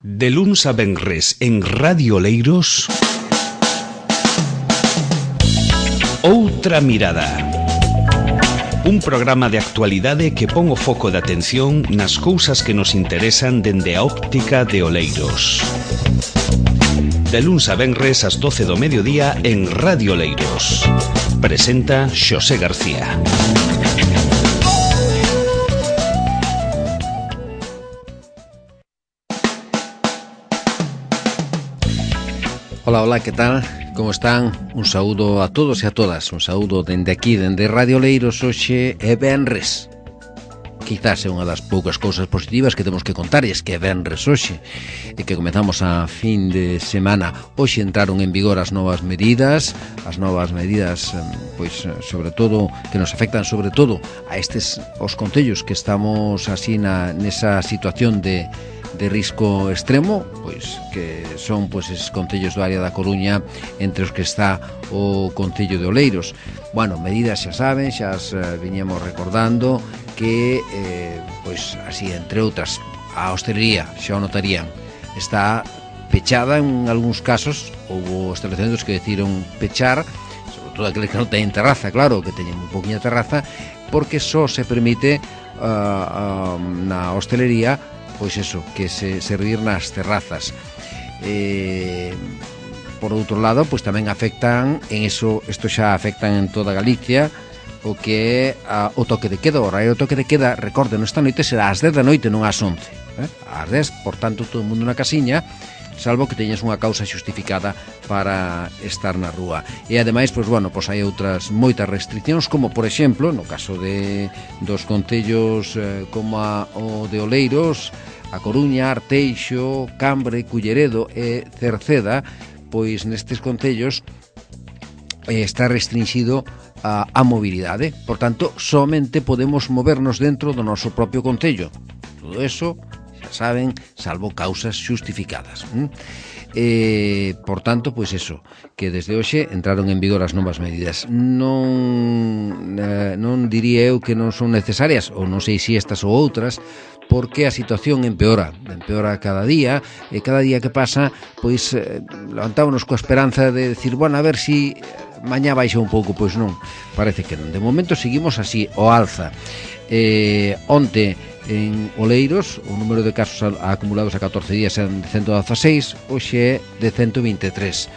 De luns a venres en Radio Oleiros, Outra Mirada. Un programa de actualidade que pon o foco de atención nas cousas que nos interesan dende a óptica de Oleiros. De luns a venres ás 12 do mediodía en Radio Oleiros. Presenta Xosé García. Hola, que tal? Como están? Un saúdo a todos e a todas. Un saúdo dende aquí, dende Radio Oleiros. Hoxe é venres. Quizás é unha das poucas cousas positivas que temos que contar, e es que é venres hoxe, e que comezamos a fin de semana. Hoxe entraron en vigor as novas medidas, pois sobre todo, que nos afectan sobre todo a os concellos que estamos así nesa situación de risco extremo, pois que son pois esos concellos do área da Coruña, entre os que está o concello de Oleiros. Bueno, medidas xa saben, xa as viñemos recordando que pois así, entre outras, a hostelería, xa o notarían, está pechada en algúns casos. Houve establecementos que decidiron pechar, sobre todo aqueles que non teñen terraza, claro, que teñen un poquinha terraza, porque só se permite na hostelería pois eso, que se servir nas terrazas. Por outro lado, pois tamén afectan en eso, isto xa afectan en toda Galicia, o que é o toque de queda. O horario do toque de queda, recorden, esta noite será ás 10 da noite, non ás 11. Ás 10, por tanto, todo o mundo na casiña, salvo que teñas unha causa xustificada para estar na rúa. E ademais, pois bueno, pois hai outras moitas restriccións, como por exemplo, no caso dos concellos como o de Oleiros, a Coruña, Arteixo, Cambre, Culleredo e Cerceda, pois nestes concellos está restringido a mobilidade. Por tanto, somente podemos movernos dentro do noso propio concello. Todo eso, xa saben, salvo causas xustificadas. Por tanto, pois eso, que desde hoxe entraron en vigor as novas medidas. Non diría eu que non son necesarias, ou non sei se estas ou outras, porque a situación empeora cada día, e cada día que pasa, pois levantámonos coa esperanza de decir, bueno, a ver si mañá baixa un pouco. Pois non, parece que non. De momento seguimos así, o alza. Onte en Oleiros o número de casos acumulados a 14 días eran de 116, hoxe é de 123.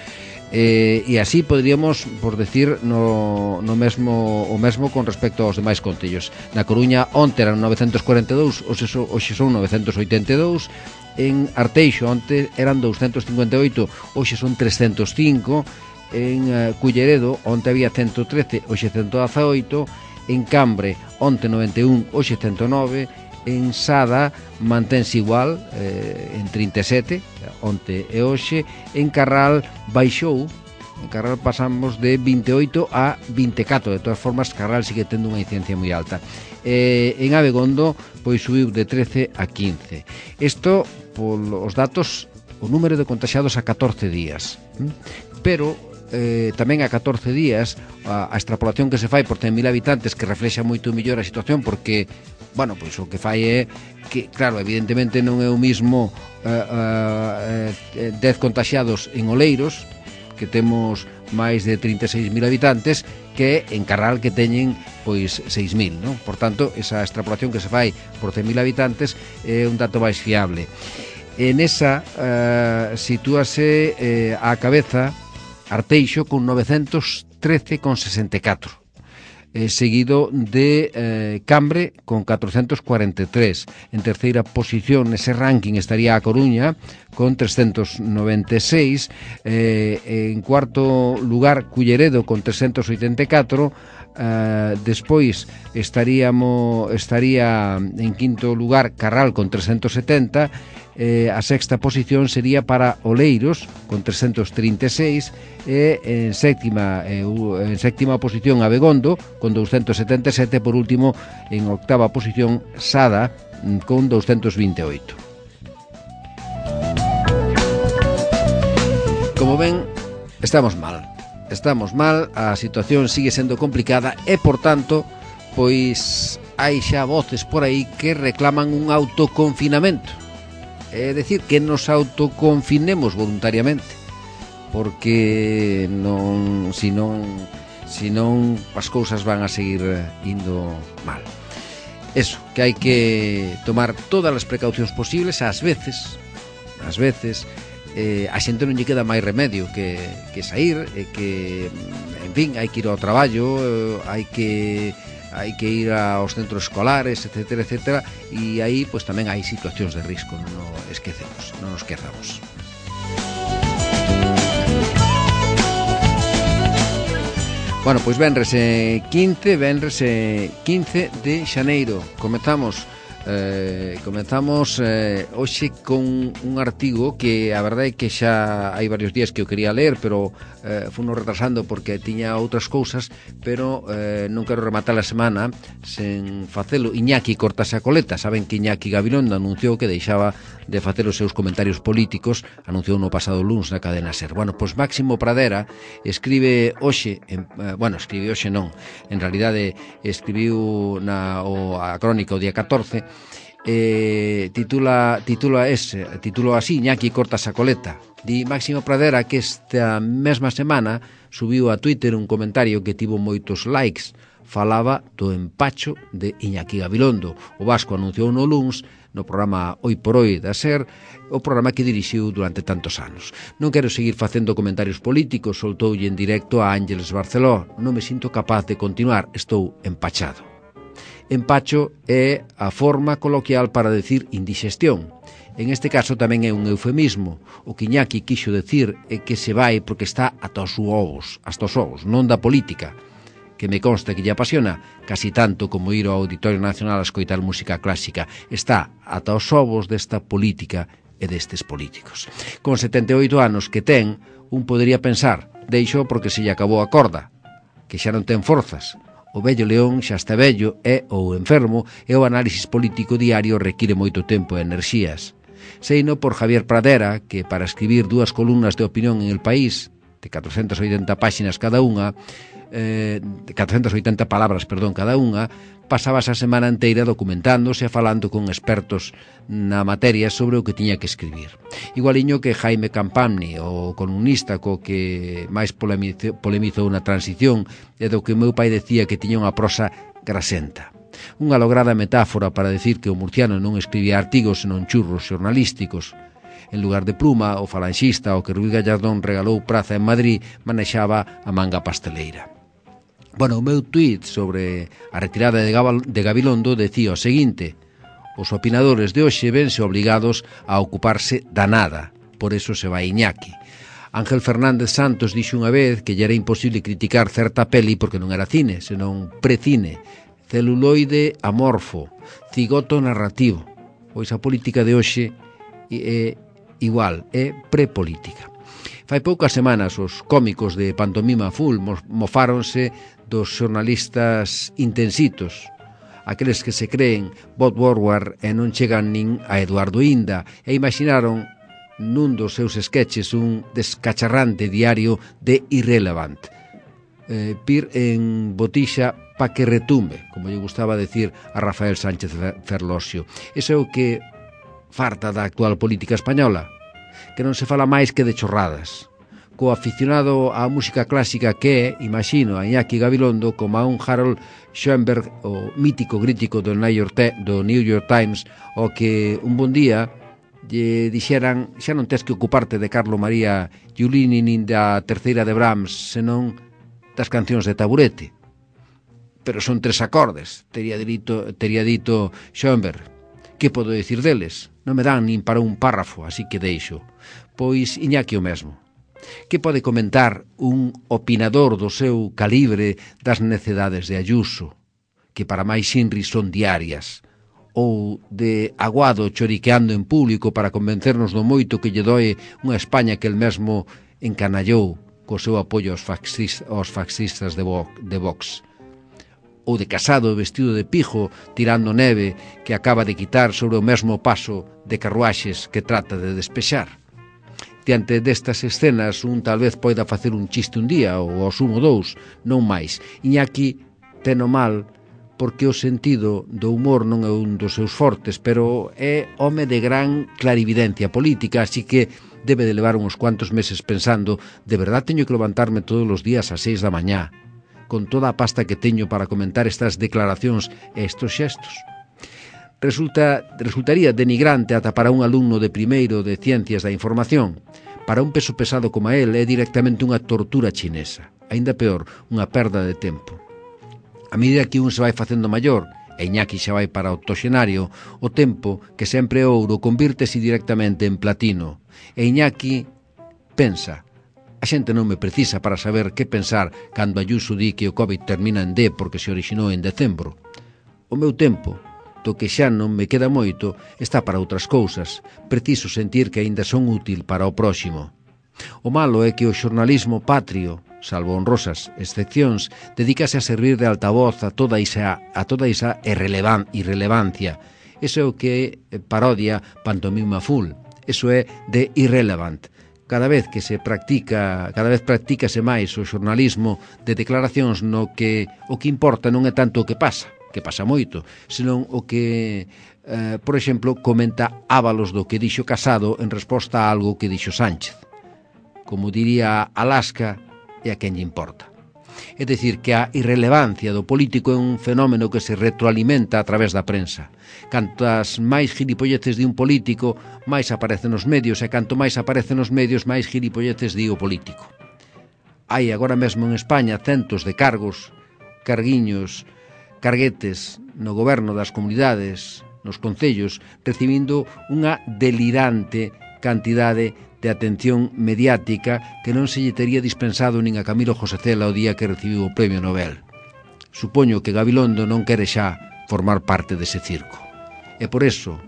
E así podríamos, por decir, o mesmo con respecto aos demais concellos. Na Coruña onte eran 942, hoxe son 982. En Arteixo onte eran 258, hoxe son 305. En Culleredo onte había 113, hoxe 118. En Cambre onte 91, hoxe 109. En Sada mantense igual, en 37, onte e hoxe. En Carral baixou, en Carral pasamos de 28 a 24, de todas formas Carral sigue tendo unha incidencia moi alta. En Abegondo, pois subiu de 13 a 15. Isto, polos datos, o número de contaxiados a 14 días. Pero tamén a 14 días a extrapolación que se fai por 100.000 habitantes, que reflexa moito mellor a situación, porque bueno, pois o que fai é que, claro, evidentemente non é o mismo 10 contaxiados en Oleiros, que temos máis de 36.000 habitantes, que en Carral, que teñen pois 6.000, non? Por tanto, esa extrapolación que se fai por 100.000 habitantes é un dato máis fiable. En esa sitúase á cabeza Arteixo con 913,64, seguido de Cambre con 443. En terceira posición nese ranking estaría a Coruña con 396. En cuarto lugar Culleredo con 384. Despois estaría en quinto lugar Carral con 370. A sexta posición sería para Oleiros con 336, e en sétima posición Abegondo con 277. Por último, en octava posición Sada con 228. Como ven, estamos mal, a situación sigue sendo complicada, e por tanto, pois hai xa voces por aí que reclaman un autoconfinamento. é dicir, que nos autoconfinemos voluntariamente, porque senón as cousas van a seguir indo mal. Eso, que hai que tomar todas as precaucións posibles. Ás veces a xente non lle queda máis remedio que sair, que, en fin, hai que ir ao traballo, hai que ir aos centros escolares, etcétera, etcétera, e aí pois tamén hai situacións de risco, non nos esquezamos. Bueno, pois venres 15 de xaneiro. Comezamos hoxe con un artigo que a verdade é que xa hai varios días que eu quería ler, pero funo retrasando porque tiña outras cousas, pero non quero rematar a semana sen facelo. Iñaki cortase a coleta. Saben que Iñaki Gabilondo anunciou que deixaba de facer os seus comentarios políticos, anunciou no pasado luns na cadena SER. Bueno, pois Máximo Pradera escribe hoxe, escribe hoxe non, en realidade escribiu a crónica o día 14, titula así: Iñaki cortas a coleta. Di Máximo Pradera que esta mesma semana subiu a Twitter un comentario que tivo moitos likes. Falaba do empacho de Iñaki Gabilondo. O vasco anunciou no luns no programa Hoy por Hoy da SER, o programa que dirixiu durante tantos anos. Non quero seguir facendo comentarios políticos, soltoulle en directo a Ángeles Barceló. Non me sinto capaz de continuar, estou empachado. Empacho é a forma coloquial para decir indigestión. En este caso tamén é un eufemismo. O que Iñaki quixo decir é que se vai porque está ata os ovos, non da política, que me consta que lle apasiona casi tanto como ir ao Auditorio Nacional a escoitar música clásica. Está ata os ovos desta política e destes políticos. Con 78 anos que ten, un podería pensar, deixo porque se lle acabou a corda, que xa non ten forzas. O vello león xa está vello, ou enfermo, e o análisis político diario require moito tempo e enerxías. Seino por Javier Pradera, que para escribir 2 columnas de opinión en El País, de 480 páxinas cada unha, 480 palabras, cada unha, pasaba esa semana inteira documentándose e falando con expertos na materia sobre o que tiña que escribir. Igualiño que Jaime Campamni, o columnista co que máis polemizou na transición e do que o meu pai decía que tiña unha prosa grasenta. Unha lograda metáfora para decir que o murciano non escribía artigos senón churros xornalísticos. En lugar de pluma, o falanxista, o que Ruiz Gallardón regalou praza en Madrid, manexaba a manga pasteleira. Bueno, o meu tuit sobre a retirada de Gabilondo decía o seguinte: os opinadores de hoxe vense obrigados a ocuparse da nada, por eso se vai Iñaki. Ángel Fernández Santos dixo unha vez que lle era imposible criticar certa peli porque non era cine, senón precine, celuloide amorfo, cigoto narrativo. Pois a política de hoxe é igual, é prepolítica. Fai poucas semanas os cómicos de Pantomima Full mofáronse dos xornalistas intensitos, aqueles que se creen Bob Woodward e non chegan nin a Eduardo Inda, e imaginaron nun dos seus sketches un descacharrante diario de Irrelevant. Pir en botixa pa que retumbe, como lle gustaba decir a Rafael Sánchez Ferlosio. Iso é o que farta da actual política española, que non se fala máis que de chorradas. Co aficionado á música clásica que é, imagino, a Iñaki Gabilondo como a un Harold Schoenberg, o mítico crítico do New York Times, o que un bon día lle dixeran: xa non tes que ocuparte de Carlo María Giulini nin da terceira de Brahms, senón das cancións de Taburete. Pero son 3 acordes, tería dito Schoenberg. Que podo dicir deles? Non me dan nin para un párrafo, así que deixo. Pois Iñaki o mesmo. Que pode comentar un opinador do seu calibre das necedades de Ayuso, que para máis Inri son diarias, ou de Aguado choriqueando en público para convencernos do moito que lle doe unha España que el mesmo encanallou co seu apoio aos fascistas de Vox, ou de Casado vestido de pijo tirando neve que acaba de quitar sobre o mesmo paso de carruaxes que trata de despexar. Diante destas escenas, un tal vez poida facer un chiste un día ou ao sumo 2, non máis. Iñaki teno mal porque o sentido do humor non é un dos seus fortes, pero é home de gran clarividencia política, así que debe de levar uns cuantos meses pensando: de verdad teño que levantarme todos os días ás 6 da mañá, con toda a pasta que teño para comentar estas declaracións e estos xestos? Resultaría denigrante ata para un alumno de primeiro de Ciencias da Información. Para un peso pesado como él é directamente unha tortura chinesa, aínda peor, unha perda de tempo. A medida que un se vai facendo maior, e Iñaki xa vai para o octoxenario, o tempo, que sempre é ouro, convírtese directamente en platino. E Iñaki pensa: a xente non me precisa para saber que pensar cando Ayuso di que o COVID termina en D porque se orixinou en decembro. O meu tempo, do que xa non me queda moito, está para outras cousas. Preciso sentir que aínda son útil para o próximo. O malo é que o xornalismo patrio, salvo honrosas excepcións, dedícase a servir de altavoz a toda esa irrelevancia. Eso é o que parodia Pantomima Full. Eso é de irrelevant. Cada vez practícase máis o xornalismo de declaracións no que o que importa non é tanto o que pasa moito, senón o que, por exemplo, comenta Ábalos do que dixo Casado en resposta a algo que dixo Sánchez. Como diría Alaska, e a quen lle importa. É dicir, que a irrelevancia do político é un fenómeno que se retroalimenta a través da prensa. Cantas máis gilipolleces di un político, máis aparece nos medios, e canto máis aparece nos medios, máis gilipolleces di o político. Hai agora mesmo en España centos de carguetes no goberno das comunidades, nos concellos, recibindo unha delirante cantidade de atención mediática que non se lle tería dispensado nin a Camilo José Cela o día que recibiu o Premio Nobel. Supoño que Gabilondo non quere xa formar parte dese circo. E por eso,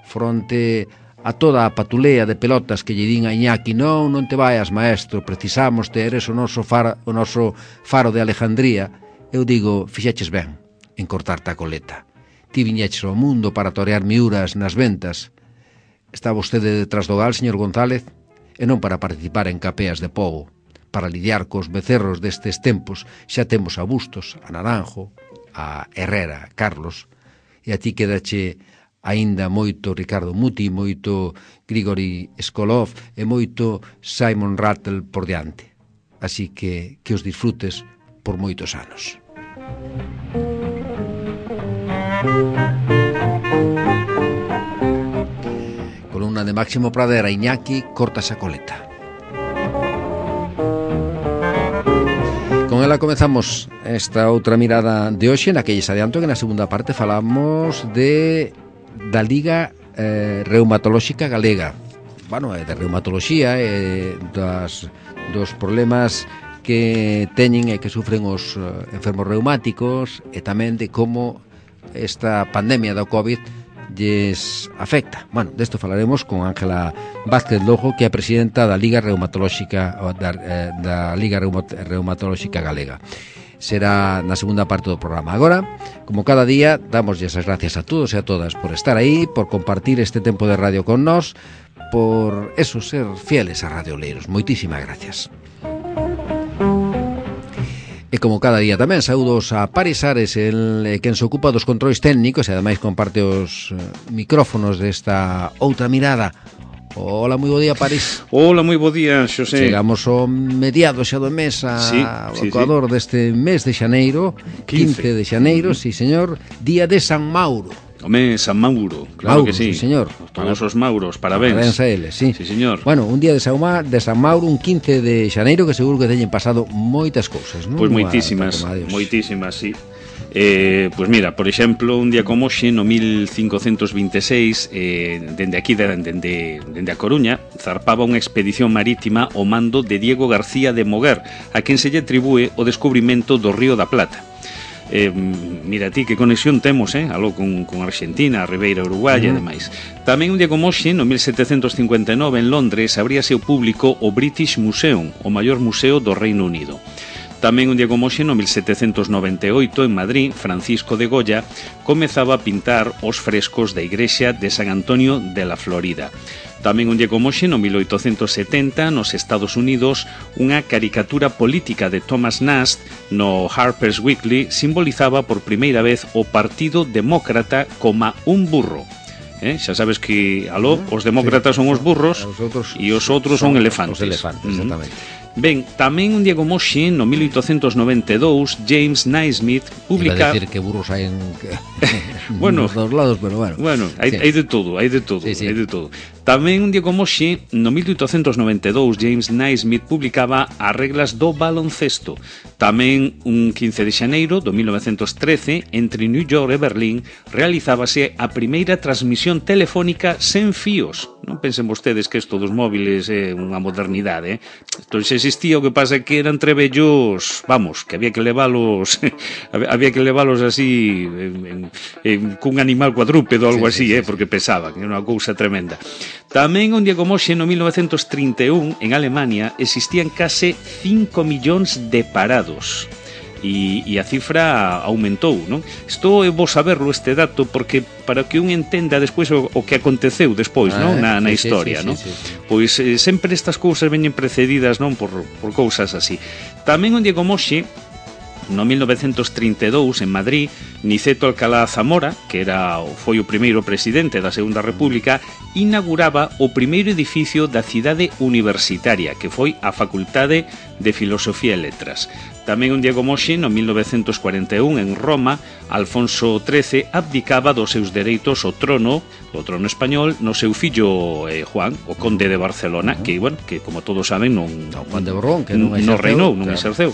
fronte a toda a patulea de pelotas que lle din a Iñaki: non te vayas, maestro, precisamos ter o noso faro de Alejandría, eu digo: fixeches ben en cortarte a coleta. Ti viñeches ao mundo para torear miúras nas ventas. Está vostede detrás do gal, señor González, e non para participar en capeas de pobo. Para lidiar cos becerros destes tempos xa temos a Bustos, a Naranjo, a Herrera, a Carlos, e a ti quedache aínda moito Ricardo Muti, moito Grigori Skolov e moito Simon Rattle por diante. Así que os disfrutes por moitos anos. Columna de Máximo Pradera. Iñaki corta esa coleta. Con ela comezamos esta outra mirada de hoxe, na que lles adianto que na segunda parte falamos da Liga Reumatolóxica Galega. Bueno, de reumatoloxía e dos problemas que teñen e que sufren os enfermos reumáticos, e tamén de como esta pandemia do COVID lles afecta. Bueno, desto falaremos con Ángela Vázquez Lojo, que é a presidenta da Liga Reumatolóxica Reumatolóxica Galega. Será na segunda parte do programa. Agora, como cada día, damoslle as gracias a todos e a todas por estar aí, por compartir este tempo de radio con nós, por eso, ser fieles a Radio Oleiros. Moitísimas gracias. E como cada día tamén, saúdos a Paris Ares, quen se ocupa dos controis técnicos e ademais comparte os micrófonos desta outra mirada. Hola, moi bo día, Paris. Hola, moi bo día, Xosé. Chegamos ao mediado xa do mes, ao ecuador deste mes de xaneiro, 15 de xaneiro, sí, señor, día de San Mauro. Home, San Mauro, claro Mauro, que sí. Sí, señor. Todos os Mauros, parabéns. Parabéns a eles, sí. Sí, señor. Bueno, un día de San Mauro, un 15 de xaneiro, que seguro que teñen pasado moitas cousas, non? Pois moitísimas, sí. Pois mira, por exemplo, un día como hoxe, no 1526, dende aquí, dende a Coruña, zarpaba unha expedición marítima ao mando de Diego García de Moguer, a quen se lle atribúe o descubrimento do Río da Plata. Mira ti que conexión temos algo con Argentina, a Ribeira Uruguaya e demais. Tamén un día como hoxe, no 1759, en Londres, abríase ao público o British Museum, o maior museo do Reino Unido. Tamén un día como hoxe, no 1798, en Madrid, Francisco de Goya comezaba a pintar os frescos da igrexa de San Antonio de la Florida. Tamén un día como hoxe, no 1870, nos Estados Unidos, unha caricatura política de Thomas Nast no Harper's Weekly simbolizaba por primeira vez o Partido Demócrata como un burro. Xa sabes que, os demócratas son os burros e os outros son elefantes. Os elefantes, exactamente. Ben, tamén un día como hoxe, no 1892, James Naismith publica... Iba a decir que burros hai en bueno, nos dos lados, pero bueno. Bueno, hai de todo, hai de todo, sí. hai de todo. Tamén un día como hoxe, no 1892, James Naismith publicaba as reglas do baloncesto. Tamén un 15 de xaneiro do 1913, entre New York e Berlín, realizábase a primeira transmisión telefónica sen fíos. Non pensen vostedes que isto dos móviles é unha modernidade, Entón xa existía, o que pasa que eran trebellos, vamos, que había que leválos así cun animal cuadrúpedo ou algo así, porque pesaban, era unha cousa tremenda. Tamén un día como hoxe, no 1931, en Alemania, existían case 5 millóns de parados. E a cifra aumentou, non? Isto é bo saberlo, este dato, porque para que un entenda despois o que aconteceu despois, non? Na historia, non? Pois sempre estas cousas veñen precedidas, non? Por cousas así. Tamén un día como hoxe, no 1932, en Madrid, Niceto Alcalá Zamora, que foi o primeiro presidente da Segunda República, inauguraba o primeiro edificio da cidade universitaria, que foi a Facultade de Filosofía e Letras. Tamén un día como hoxe, no 1941, en Roma, Alfonso XIII abdicaba dos seus dereitos ao trono español, no seu fillo Juan, o conde de Barcelona, que, bueno, que como todos saben, non Juan de Borbón, que non reinou, non exerceu.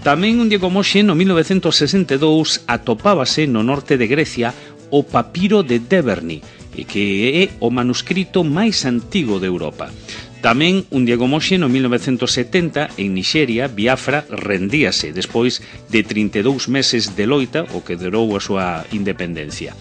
Tamén un día como hoxe, no 1962, atopábase no norte de Grecia o papiro de Deverny, que é o manuscrito máis antigo de Europa. Tamén, un día como hoxe, no 1970, en Nixeria, Biafra rendíase despois de 32 meses de loita, o que durou a súa independencia.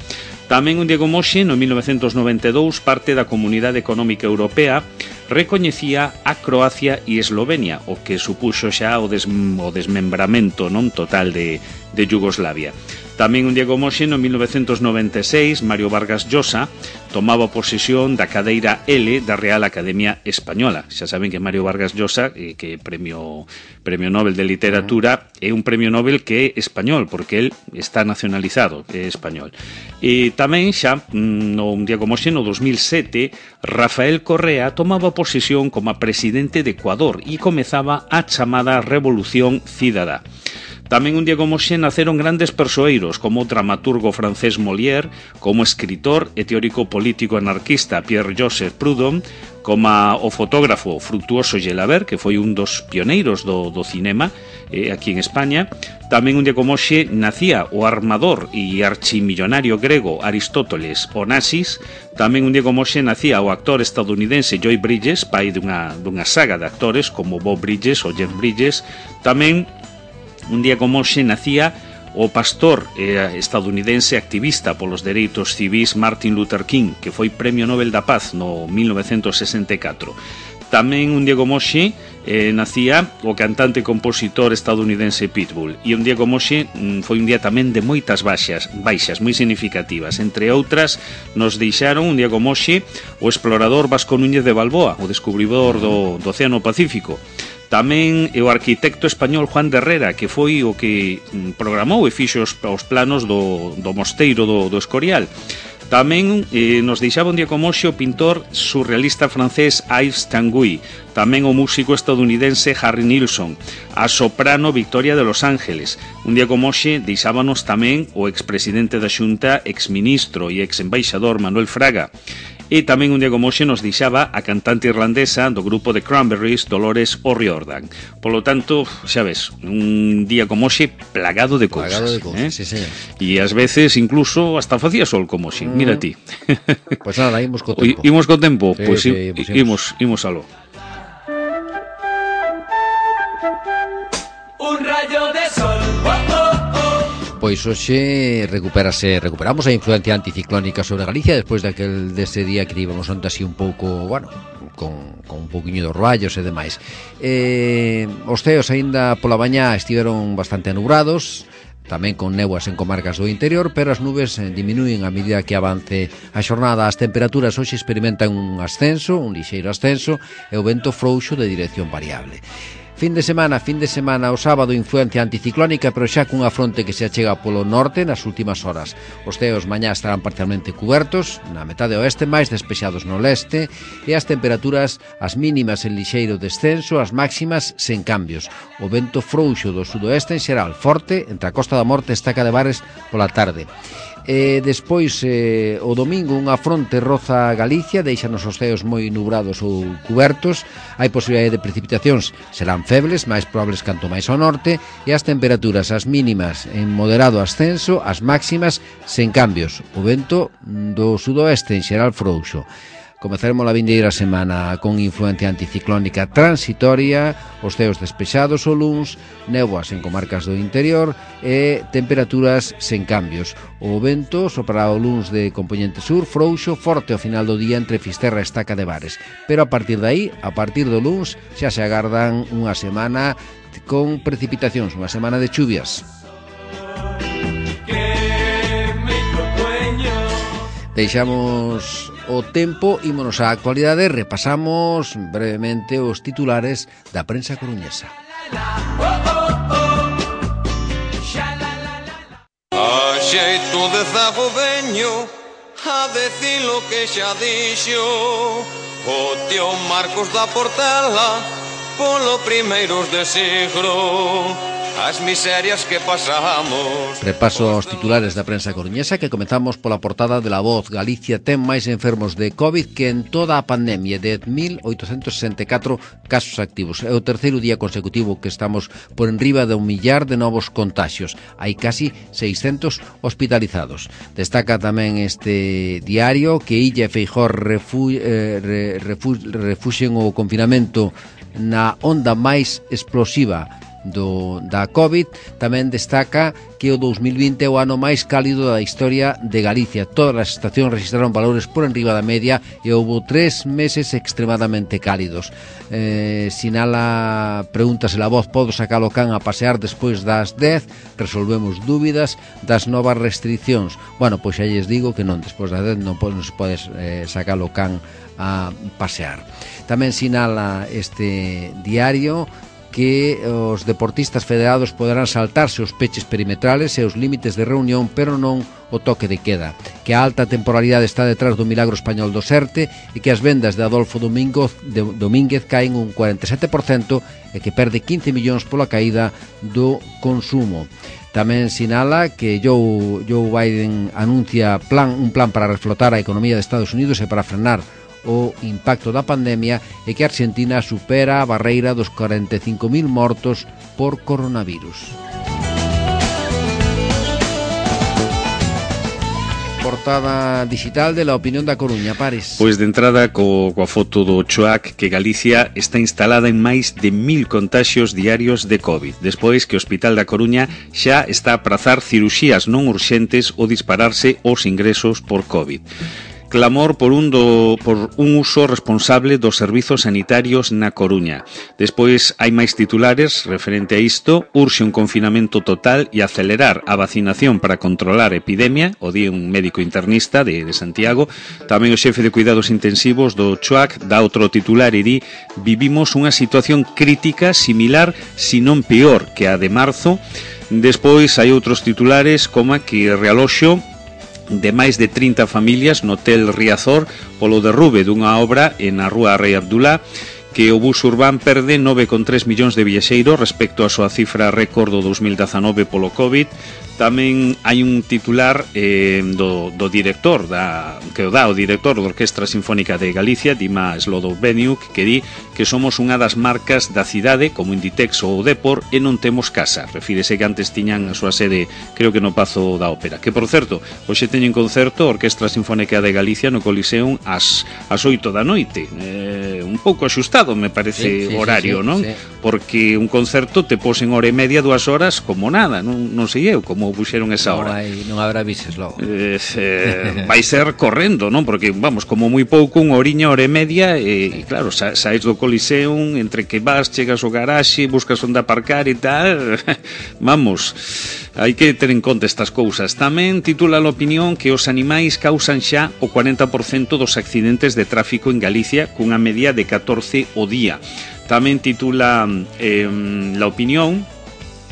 Tamén, un día como hoxe, no 1992, parte da Comunidade Económica Europea recoñecía a Croacia e Eslovenia, o que supuxo xa o desmembramento non total de Yugoslavia. Tamén un día como hoxe, no 1996, Mario Vargas Llosa tomaba posesión da cadeira L da Real Academia Española. Xa saben que Mario Vargas Llosa, que é premio Nobel de Literatura, é un premio Nobel que é español, porque él está nacionalizado, é español. E tamén xa, un día como hoxe, no 2007, Rafael Correa tomaba posesión como presidente de Ecuador e comezaba a chamada Revolución Cidadá. Tamén un día como hoxe naceron grandes persoeiros como o dramaturgo francés Molière, como escritor e teórico político anarquista Pierre-Joseph Proudhon, como o fotógrafo Fructuoso Gelabert, que foi un dos pioneiros do cinema aquí en España. Tamén un día como hoxe nacía o armador e archimillonario grego Aristóteles Onassis. Tamén un día como hoxe nacía o actor estadounidense Joy Bridges, pai dunha saga de actores como Bob Bridges ou Jeff Bridges. Tamén un día como hoxe nacía o pastor estadounidense activista polos dereitos civis Martin Luther King, que foi Premio Nobel da Paz no 1964. Tamén un día como hoxe nacía o cantante e compositor estadounidense Pitbull. E un día como hoxe foi un día tamén de moitas baixas moi significativas. Entre outras, nos deixaron un día como hoxe o explorador Vasco Núñez de Balboa, o descubridor do Océano Pacífico. Tamén o arquitecto español Juan de Herrera, que foi o que programou e fixo os planos do mosteiro do Escorial. Tamén nos deixaba un día como hoxe o pintor surrealista francés Yves Tanguy, tamén o músico estadounidense Harry Nilsson, a soprano Victoria de Los Ángeles. Un día como hoxe deixábanos tamén o expresidente da Xunta, exministro e exembaixador Manuel Fraga. E tamén un día como hoxe nos deixaba a cantante irlandesa do grupo de Cranberries, Dolores O'Riordan. Polo tanto, xa ves, un día como hoxe plagado de cousas. Sí, señor. E ás veces incluso hasta facía sol como hoxe, mira ti. Pois nada, imos co tempo. Imos co tempo, pois imos aló. Pois hoxe recuperamos a influencia anticiclónica sobre Galicia despois dese día que íbamos onde así un pouco, bueno, con un pouquiño dos rallos e demais. Os ceos aínda pola mañá estiveron bastante anubrados, tamén con néboas en comarcas do interior, pero as nubes diminúen a medida que avance a xornada. As temperaturas hoxe experimentan un lixeiro ascenso, e o vento frouxo de dirección variable. Fin de semana, o sábado influencia anticiclónica, pero xa cunha fronte que se achega polo norte nas últimas horas. Os ceos mañá estarán parcialmente cubertos, na metade oeste, máis despexados no leste, e as temperaturas, as mínimas en lixeiro descenso, as máximas sen cambios. O vento frouxo do sudoeste en xeral, forte, entre a Costa da Morte e Estaca de Bares pola tarde. Despois o domingo unha fronte roza Galicia, deixanos os ceos moi nubrados ou cubertos, hai posibilidade de precipitacións, serán febles, máis probables canto máis ao norte, e as temperaturas, as mínimas en moderado ascenso, as máximas sen cambios. O vento do sudoeste en xeral frouxo. Comezaremos a vindeira semana con influencia anticiclónica transitoria, os ceos despexados o luns, néboas en comarcas do interior e temperaturas sen cambios. O vento soprará o luns de compoñente sur, frouxo, forte ao final do día entre Fisterra e Estaca de Bares. Pero a partir de aí, a partir do luns, xa se agardan unha semana con precipitacións, unha semana de chuvias. Deixamos o tempo, ímonos á actualidade, repasamos brevemente os titulares da prensa coruñesa. A xeito de zago veño a decir lo que xa dixo o tío Marcos da Portela polo primeiros de siglo. As miserias que pasamos. Repaso aos titulares da prensa coruñesa, que comezamos pola portada de La Voz. Galicia ten máis enfermos de COVID que en toda a pandemia, 10.864 casos activos. É o terceiro día consecutivo que estamos por enriba de 1 millar de novos contagios. Hai casi 600 hospitalizados. Destaca tamén este diario que Illa e Feijóo refuxen o confinamento na onda máis explosiva da COVID. Tamén destaca que o 2020 é o ano máis cálido da historia de Galicia. Todas as estacións registraron valores por enriba da media e houve 3 meses extremadamente cálidos. Pregúntase La Voz, podo sacar o can a pasear despois das 10? Resolvemos dúbidas das novas restriccións. Bueno, pois xa lles digo que non, despois das 10 non se podes sacar o can a pasear. Tamén sinala este diario que os deportistas federados poderán saltarse os peches perimetrales e os límites de reunión, pero non o toque de queda, que a alta temporalidade está detrás do milagro español do Serte e que as vendas de Adolfo Domínguez caen un 47% e que perde 15 millóns pola caída do consumo. Tamén sinala que Joe Biden anuncia un plan para reflotar a economía de Estados Unidos e para frenar o impacto da pandemia, e que Argentina supera a barreira dos 45.000 mortos por coronavirus. Portada digital de La Opinión da Coruña, Pares. Pois de entrada coa foto do Choac, que Galicia está instalada en máis de 1.000 contaxios diarios de COVID, despois que o Hospital da Coruña xa está a prazar ciruxías non urxentes ou dispararse os ingresos por COVID. Clamor por un uso responsable dos servizos sanitarios na Coruña. Despois hai máis titulares referente a isto. Urxe un confinamento total e acelerar a vacinación para controlar a epidemia, o di un médico internista de Santiago. Tamén o xefe de cuidados intensivos do Choac dá outro titular e di: vivimos unha situación crítica similar, si non peor, que a de marzo. Despois hai outros titulares como que realoxo de máis de 30 familias no Hotel Riazor polo derrube dunha obra na rúa Rei Abdulá, que o bus urbán perde 9,3 millóns de viaxeiros respecto á súa cifra récord do 2019 polo COVID. Tamén hai un titular do director que o dá o director da Orquestra Sinfónica de Galicia, Dima Slodoveniuk, que di que somos unha das marcas da cidade, como Inditex ou Depor, e non temos casa. Refírese que antes tiñan a súa sede, creo que no Pazo da Ópera. Que, por certo, hoxe teñen concerto a Orquestra Sinfónica de Galicia no Coliseum ás 8 da noite. Un pouco axustado, me parece, horario, non? Sí. porque un concerto te pos en hora e media, 2 horas como nada, non sei eu como puxeron esa hora. Non habrá bises logo. Vai ser correndo, non? Porque, vamos, como moi pouco, unha horiña, hora e media, e claro, saes do Coliseum, entre que vas, chegas ao garaxe, buscas onde aparcar e tal, vamos, hai que ter en conta estas cousas. Tamén titula a opinión que os animais causan xa o 40% dos accidentes de tráfico en Galicia, cunha media de 14 o día. Tamén titula la opinión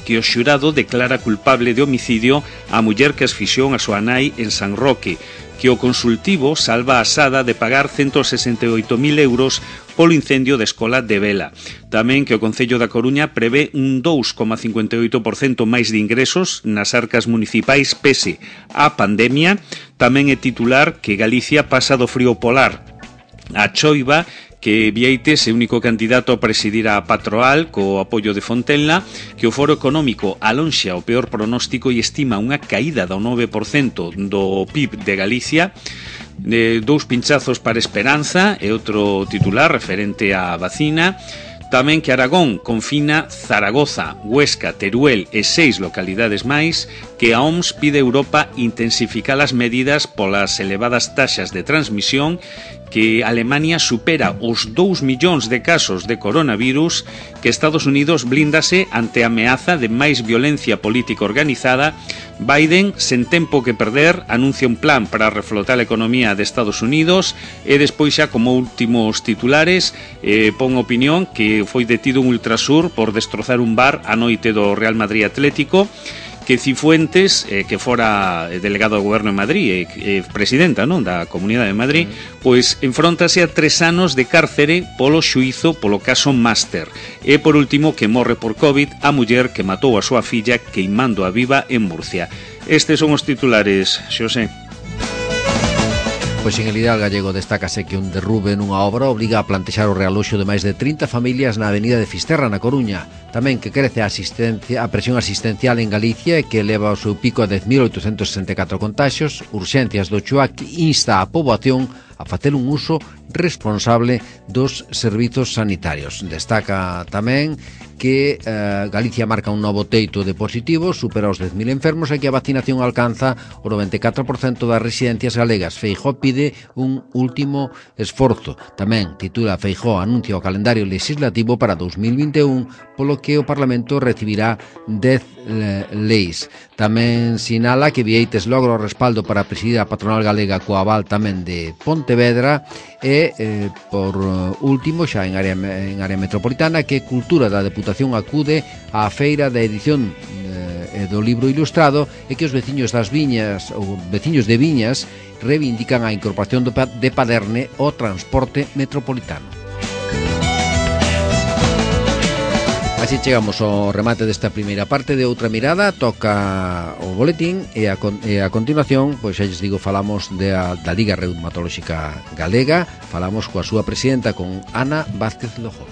que o xurado declara culpable de homicidio a muller que asfixiou a súa nai en San Roque, que o consultivo salva a Sada de pagar 168.000 euros polo incendio da escola de Vela. Tamén que o Concello da Coruña prevé un 2,58% máis de ingresos nas arcas municipais pese á pandemia. Tamén é titular que Galicia pasa do frío polar a choiva, que Vieites é o único candidato a presidir a Patroal co apoio de Fontenla, que o Foro Económico alonxa o peor pronóstico e estima unha caída do 9% do PIB de Galicia. Dous pinchazos para Esperanza e outro titular referente á vacina. Tamén que Aragón confina Zaragoza, Huesca, Teruel e 6 localidades máis, que a OMS pide a Europa intensificar as medidas polas elevadas taxas de transmisión, que Alemania supera os 2 millóns de casos de coronavirus, que Estados Unidos blíndase ante a ameaza de máis violencia política organizada. Biden, sen tempo que perder, anuncia un plan para reflotar a economía de Estados Unidos, e despois xa como últimos titulares pon opinión que foi detido un Ultrasur por destrozar un bar a noite do Real Madrid Atlético, que Cifuentes, que fora delegado do Goberno de Madrid e presidenta, non, da Comunidade de Madrid, pois enfróntase a 3 anos de cárcere polo xuízo polo caso Máster. E por último, que morre por COVID a muller que matou a súa filla queimando a viva en Murcia. Estes son os titulares, Xosé. Pois en el ideal gallego destácase que un derrube nunha obra obriga a plantexar o realoxo de máis de 30 familias na avenida de Fisterra, na Coruña. Tamén que crece a presión asistencial en Galicia e que eleva o seu pico a 10.864 contaxios. Urxencias do Chuac insta a poboación a facer un uso responsable dos servizos sanitarios. Destaca tamén que Galicia marca un novo teito de positivos, supera os 10.000 enfermos e que a vacinación alcanza o 94% das residencias galegas. Feijóo pide un último esforzo. Tamén titula Feijóo anuncia o calendario legislativo para 2021, polo que o Parlamento recibirá 10 leis. Tamén sinala que Vieites logra o respaldo para presidir a patronal galega coa aval tamén de Pontevedra e, por último, xa en área metropolitana, que Cultura da Deputación acude á feira da edición do libro ilustrado e que os veciños das viñas ou veciños de Viñas reivindican a incorporación de Paderne ao transporte metropolitano. Así chegamos ao remate desta primeira parte de Outra Mirada. Toca o boletín e a continuación, pois xa lles digo, falamos da Liga Reumatolóxica Galega. Falamos coa súa presidenta, con Ana Vázquez Lojó.